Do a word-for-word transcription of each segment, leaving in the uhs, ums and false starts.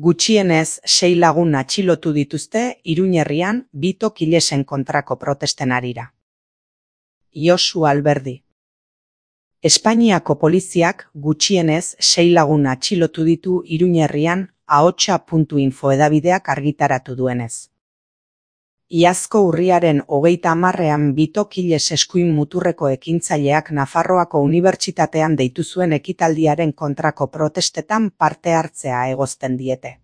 Gutxienez sei lagun atxilotu dituzte Iruñerrian Bito Kilesen kontrako protesten harira. Josu Alberdi. Espainiako poliziak gutxienez sei lagun atxilotu ditu Iruñerrian ahotsa puntu info edabideak argitaratu duenez. Iazko urriaren hogeita hamarrean Bito Kiles eskuin muturreko ekintzaileak Nafarroako Unibertsitatean deitu zuen ekitaldiaren kontrako protestetan parte hartzea egozten diete.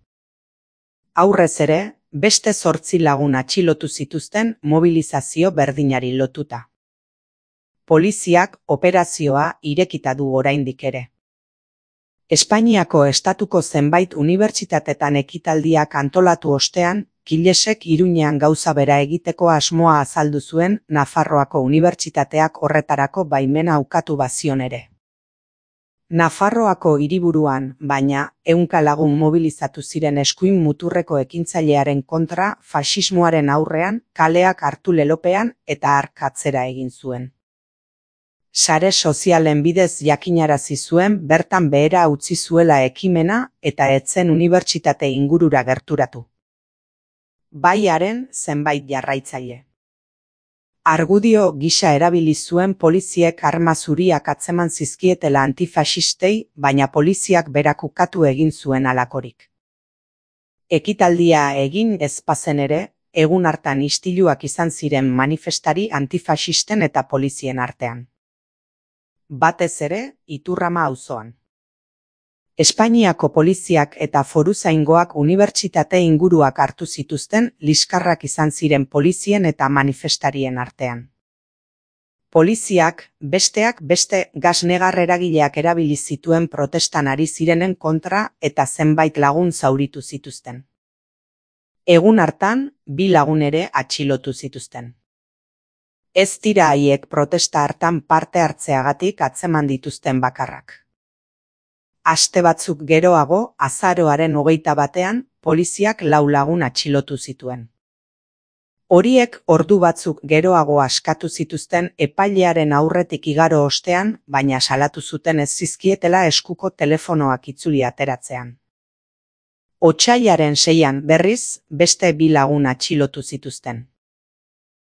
Aurrez ere, beste zortzi lagun atxilotu zituzten mobilizazio berdinari lotuta. Poliziak operazioa irekita du oraindik ere. Espainiako estatuko zenbait unibertsitatetan ekitaldiak antolatu ostean, Kilesek Iruñean gauza bera egiteko asmoa azaldu zuen Nafarroako Unibertsitateak horretarako baimena ukatu bazion ere. Nafarroako hiriburuan, baina, ehunka lagun mobilizatu ziren eskuin muturreko ekintzailearen kontra faxismoaren aurrean, kaleak hartu lelopean eta hark atzera egin zuen. Sare sozialen bidez jakinarazi zuen bertan behera utzi zuela ekimena eta etzen unibertsitate ingurura gerturatu. Baiaren zenbait jarraitzaile. Argudio gisa erabili zuen poliziek arma zuriak atzeman zizkietela antifaxistei, baina poliziak berak ukatu egin zuen halakorik. Ekitaldia egin ez bazen ere, egun hartan istiluak izan ziren manifestari antifaxisten eta polizien artean. Batez ere, Iturrama auzoan. Espainiako poliziak eta foruzaingoak unibertsitate inguruak hartu zituzten liskarrak izan ziren polizien eta manifestarien artean. Poliziak, besteak beste gas negar eragileak erabili zituen protestan ari zirenen kontra eta zenbait lagun zauritu zituzten. Egun hartan, bi lagun ere atxilotu zituzten. Ez dira haiek protesta hartan parte hartzeagatik atzeman dituzten bakarrak. Aste batzuk geroago, azaroaren hogeita batean, poliziak lau lagun atxilotu zituen. Horiek ordu batzuk geroago askatu zituzten epailearen aurretik igaro ostean, baina salatu zuten ez zizkietela eskuko telefonoak itzuli ateratzean. Otsailaren seian berriz, beste bi lagun atxilotu zituzten.